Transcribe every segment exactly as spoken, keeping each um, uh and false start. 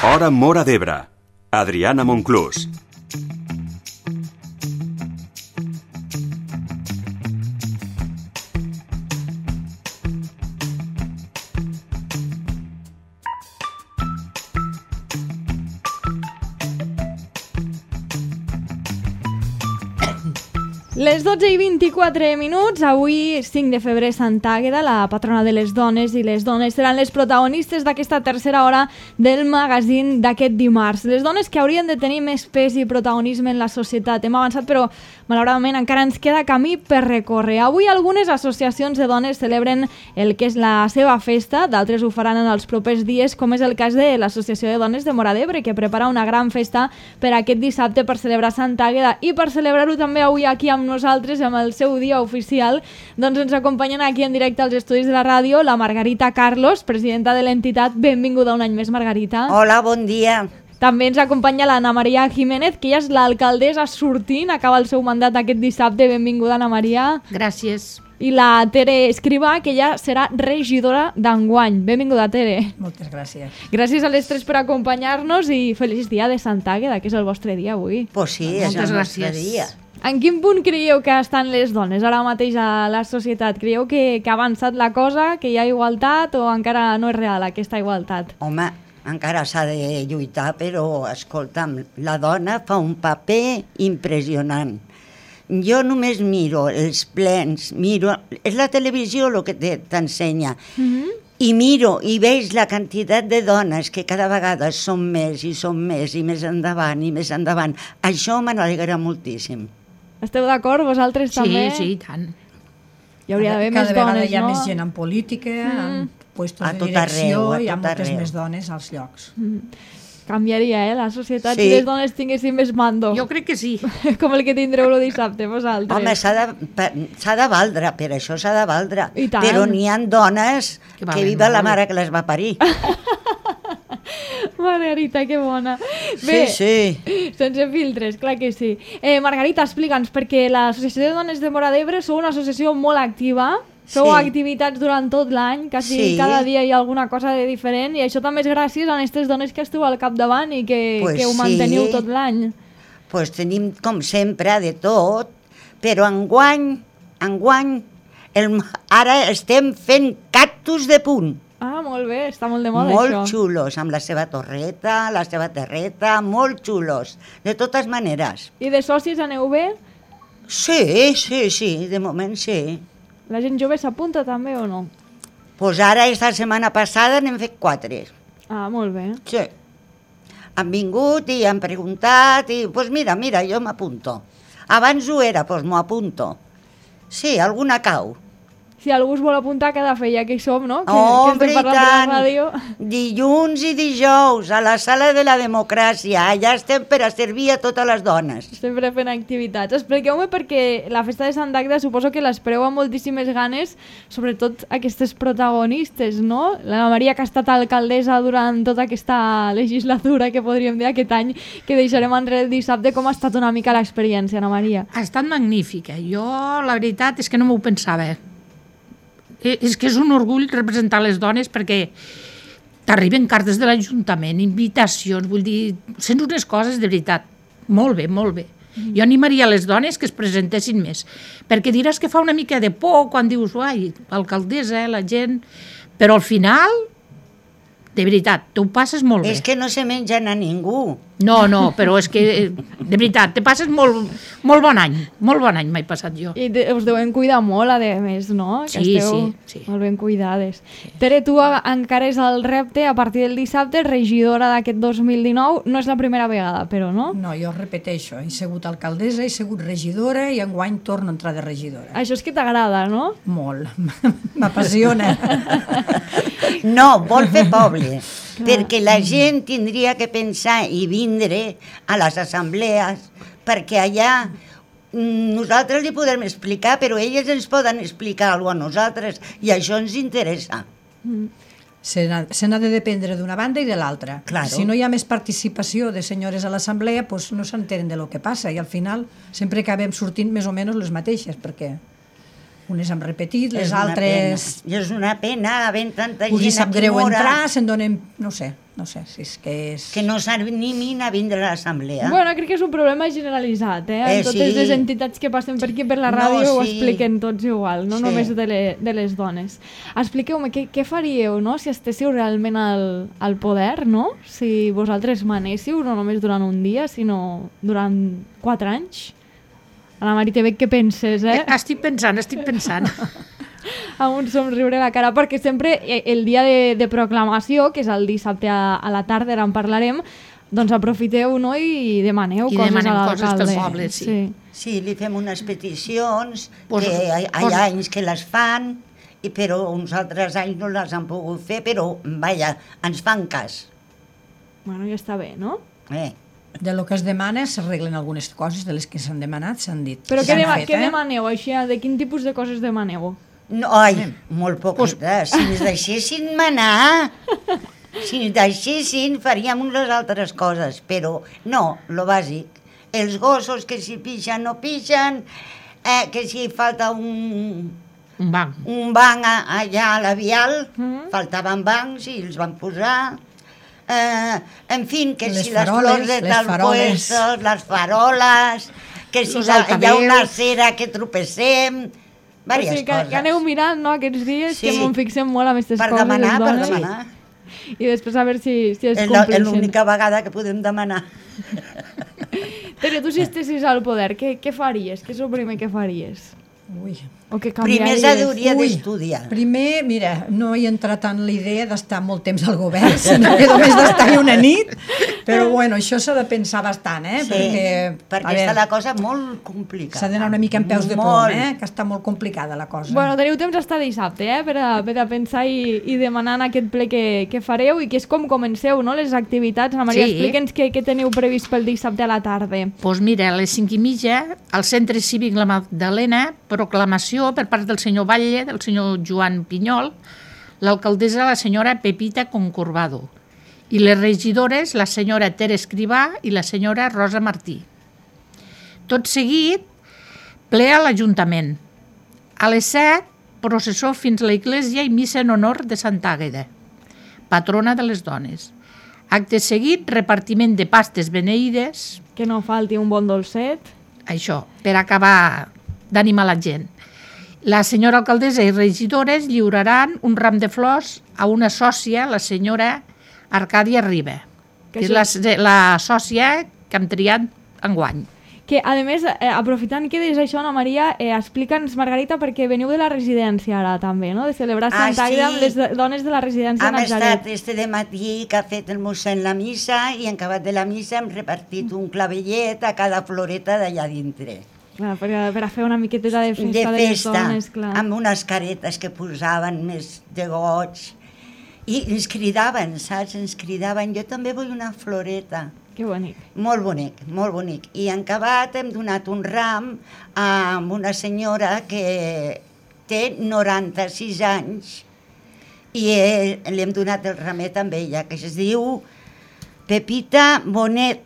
Hora Móra d'Ebre. Adriana Monclús. Les dotze i vint-i-quatre minuts, avui cinc de febrer, Sant Àgueda, la patrona de les dones, i les dones seran les protagonistes d'aquesta tercera hora del magazín d'aquest dimarts. Les dones que haurien de tenir més pes i protagonisme en la societat. Hem avançat, però malauradament encara ens queda camí per recórrer. Avui algunes associacions de dones celebren el que és la seva festa, d'altres ho faran en els propers dies, com és el cas de l'Associació de Dones de Móra d'Ebre, que prepara una gran festa per aquest dissabte per celebrar Sant Àgueda, i per celebrar-ho també avui aquí amb nosaltres, amb el seu dia oficial, doncs ens acompanyen aquí en directe als estudis de la ràdio la Margarita Carlos, presidenta de l'entitat. Benvinguda un any més, Margarita. Hola, bon dia. També ens acompanya l'Anna Maria Jiménez, que ella és l'alcaldessa sortint, acaba el seu mandat aquest dissabte. Benvinguda, Anna Maria. Gràcies. I la Tere Escrivà, que ella serà regidora d'enguany. Benvinguda, Tere. Moltes gràcies. Gràcies a les tres per acompanyar-nos i feliç dia de Sant Àgueda, que és el vostre dia avui. Pues sí, és el nostre dia. En quin punt creieu que estan les dones ara mateix a la societat? Creieu que, que ha avançat la cosa, que hi ha igualtat, o encara no és real aquesta igualtat? Home, encara s'ha de lluitar, però, escolta'm, la dona fa un paper impressionant. Jo només miro els plens, miro... És la televisió el que t'ensenya. Mm-hmm. I miro i veig la quantitat de dones que cada vegada són més i són més i més endavant i més endavant. Això me n'alegra moltíssim. Esteu d'acord, vosaltres sí, també? Sí, sí, tant. Hi hauria d'haver més dones, no? Cada vegada hi ha més gent en política, mm. en puestos de direcció, arreu, hi ha moltes arreu. més dones als llocs. Mm. Canviaria, eh, la societat, sí. Si les dones tinguessin més mando. Jo crec que sí. Com el que tindreu el dissabte, vosaltres. Home, s'ha de, s'ha de valdre, per això s'ha de valdre. I tant. Però n'hi ha dones que, que viva la mare que les va parir. Margarita, que bona. Bé, sí, sí. Sense filtres, clar que sí. Eh, Margarita, explica'ns, perquè l'Associació de Dones de Móra d'Ebre sou una associació molt activa, feu sí. activitats durant tot l'any, quasi sí. cada dia hi ha alguna cosa de diferent, i això també és gràcies a aquestes dones que esteu al capdavant i que, pues que ho manteniu sí. tot l'any. Doncs pues tenim, com sempre, de tot, però enguany, enguany, el, ara estem fent cactus de punt. Ah, molt bé, està molt de moda molt això. Molt xulos, amb la seva torreta, la seva terreta, molt xulos, de totes maneres. I de socis aneu bé? Sí, sí, sí, de moment sí. La gent jove s'apunta també o no? Doncs pues ara, esta setmana passada, n'hem fet quatre. Ah, molt bé. Sí. Han vingut i han preguntat i, doncs pues mira, mira, jo m'apunto. Abans ho era, doncs pues m'ho apunto. Sí, alguna cau. Si algú es vol apuntar, cada feia que hi som, no? Que, oh, que estem parlant de la ràdio. Dilluns i dijous, a la sala de la democràcia. Allà estem per a servir a totes les dones. Sempre fent activitats. Expliqueu-me, perquè la festa de Sant Àgueda suposo que l'espereu amb moltíssimes ganes, sobretot aquestes protagonistes, no? La Maria, que ha estat alcaldessa durant tota aquesta legislatura, que podríem dir aquest any, que deixarem enrere el dissabte. Com ha estat una mica l'experiència, Ana Maria? Ha estat magnífica. Jo, la veritat, és que no m'ho pensava. És que és un orgull representar les dones, perquè t'arriben cartes de l'Ajuntament, invitacions, vull dir, sents unes coses de veritat. Molt bé, molt bé. Mm. Jo animaria les dones que es presentessin més, perquè diràs que fa una mica de por quan dius, ai, alcaldessa, la gent... Però al final, de veritat, t'ho passes molt bé. És que no se mengen a ningú. No, no, però és que, de veritat, te passes molt, molt bon any, molt bon any m'he passat jo. I de, us deuen cuidar molt, a més, no? Que sí, esteu sí, sí. Molt ben cuidades. Sí. Tere, tu encares el repte a partir del dissabte, regidora d'aquest dos mil dinou. No és la primera vegada, però, no? No, jo repeteixo, he sigut alcaldessa, he sigut regidora i enguany torno a entrar de regidora. Això és que t'agrada, no? Molt, m'apassiona. No, vol fer poble, perquè la gent tindria que pensar i vindre a les assemblees, perquè allà nosaltres li podem explicar, però elles ens poden explicar alguna cosa a nosaltres, i això ens interessa. Mm. Se n'ha de dependre d'una banda i de l'altra. Claro. Si no hi ha més participació de senyores a l'assemblea, pues no s'entenen de lo que passa, i al final sempre acabem sortint més o menys les mateixes, perquè Unes han repetit, les És una altres... pena. I és una pena, havent tanta Us hi gent sap aquí greu mora, entrar, se'n donen... No sé, no sé, si és que és... que no s'animin a vindre a l'assemblea. Bueno, crec que és un problema generalitzat, eh? Eh, En totes sí. les entitats que passen per aquí per la No, ràdio ho sí. expliquen tots igual, no Sí. només de, le, de les dones. Expliqueu-me, què, què faríeu, no?, si estéssiu realment al, al poder, no? Si vosaltres manéssiu, no només durant un dia, sinó durant quatre anys? Anna Maria, te veig que penses, eh? Estic pensant, estic pensant. Amb un somriure a la cara, perquè sempre eh, el dia de, de proclamació, que és el dissabte a, a la tarda, ara en parlarem, doncs aprofiteu, no?, i demaneu I coses demanem a coses l'alcalde. pel poble, sí. Sí, li fem unes peticions, Pues- que hi, hi pues- ha anys que les fan, i però uns altres anys no les han pogut fer, però, vaja, ens fan cas. Bueno, ja està bé, no? Eh? De lo que es demana s'arreglen algunes coses, de les que s'han demanat s'han dit. Però què, S'han dema fet, què eh? demaneu, així? De quin tipus de coses demaneu? No, ai, molt poquetes. Si ens deixessin manar, si ens deixessin, faríem unes altres coses, però no, lo bàsic. Els gossos que si pixen no pixen, eh, que si falta un, Un banc. un banc a, allà a la Vial, Mhm. faltaven bancs i els van posar. Eh, en fi, que Les si les faroles, flors de les tal faroles. puesto, les faroles, que si Los la, hi ha altaveus. una cera que tropecem, O diverses sigui, que, coses. que aneu mirant, no?, aquests dies, Sí. que m'ho fixem molt amb aquestes Per coses, demanar, les per dones, demanar. i després a veure si, si es És la- és compleixen. l'única vegada que podem demanar. Tere, tu si estessis al poder, què, què faries? Què és el primer que faries? Ui. O què Primer canviaries? s'hauria Ui. d'estudiar. Primer, mira, no hi entra tant la idea d'estar molt temps al govern, sinó que només d'estar-hi una nit, però bueno, això s'ha de pensar bastant, eh? Sí, perquè, perquè a veure, està la cosa molt complicada. s'ha d'anar una mica en peus de plom, Molt. eh? Que està molt complicada la cosa. Bueno, teniu temps hasta dissabte, eh?, per a, per a pensar i, i demanar en aquest ple que, que fareu i que és com comenceu, no?, les activitats. Ana Maria, Sí. explica'ns què, què teniu previst pel dissabte a la tarda. Doncs pues mira, a les cinc i mitja, al Centre Cívic La Magdalena, proclamació per part del senyor Batlle, del senyor Joan Pinyol, l'alcaldessa, la senyora Pepita Concorbado, i les regidores, la senyora Tere Escrivà i la senyora Rosa Martí. Tot seguit, ple a l'Ajuntament. A les set, processó fins a l'església i missa en honor de Santa Àgueda, patrona de les dones. Acte seguit, repartiment de pastes beneïdes, Que no falti un bon dolcet. això, per acabar d'animar la gent. La senyora alcaldessa i regidores lliuraran un ram de flors a una sòcia, la senyora Arcàdia Riba, Que que és això- la, la sòcia que hem triat enguany. Que, a més, eh, aprofitant que dius això, Ana Maria, eh, explica'ns, Margarita, perquè veniu de la residència ara també, no?, de celebrar Ah, Sant Àgueda sí. amb les do- dones de la residència Hem estat Natzaret. este de matí que ha fet el mossèn la missa i en acabat de la missa hem repartit un clavellet a cada floreta d'allà dintre. Clar, per, a- per a fer una miqueteta de festa De de, les festa, dones, clar. amb unes caretes que posaven més de goig. I ens cridaven, saps? Ens cridaven, jo també vull una floreta. Que bonic. Molt bonic, molt bonic. I en acabat hem donat un ram a una senyora que té noranta-sis anys i eh, li hem donat el ramet amb ella, que es diu Pepita Bonet.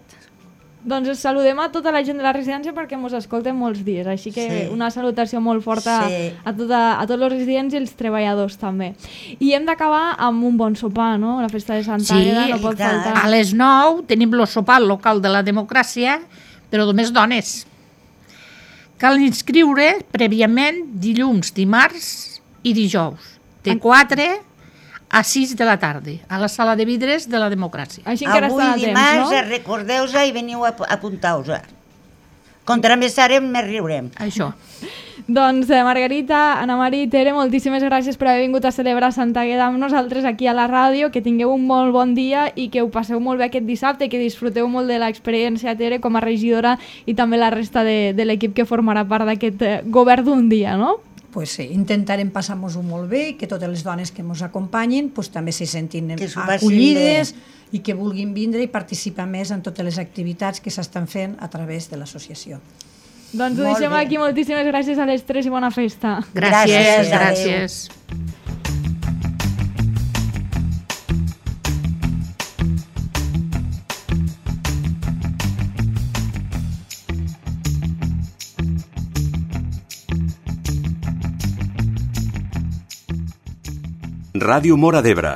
Doncs us saludem a tota la gent de la residència perquè mos escolten molts dies, així que Sí. una salutació molt forta Sí. a, tota, a tots els residents i els treballadors també. I hem d'acabar amb un bon sopar, no? La festa de Santa Sí, Àgueda no i pot tant. faltar. A les nou tenim el sopar local de la democràcia, però només dones. Cal inscriure prèviament dilluns, dimarts i dijous, de quatre a sis de la tarda, a la sala de vidres de la democràcia. Així encara Avui està a dimarts, temps, no? recordeu-se i veniu a apuntar-vos. Contra més serem, més riurem. Això. Doncs eh, Margarita, Ana Maria i Tere, moltíssimes gràcies per haver vingut a celebrar Santa Àgueda amb nosaltres aquí a la ràdio, que tingueu un molt bon dia i que ho passeu molt bé aquest dissabte i que disfruteu molt de l'experiència, Tere, com a regidora i també la resta de, de l'equip que formarà part d'aquest eh, govern d'un dia, no? Pues sí, intentarem passar-nos-ho molt bé i que totes les dones que ens acompanyin pues, també se sentin Que s'ho passin acollides i que vulguin vindre i participar més en totes les activitats que s'estan fent a través de l'associació. Doncs ho Molt deixem bé. aquí. Moltíssimes gràcies a les tres i bona festa. Gràcies, Gràcies, adéu. gràcies. Ràdio Móra d'Ebre,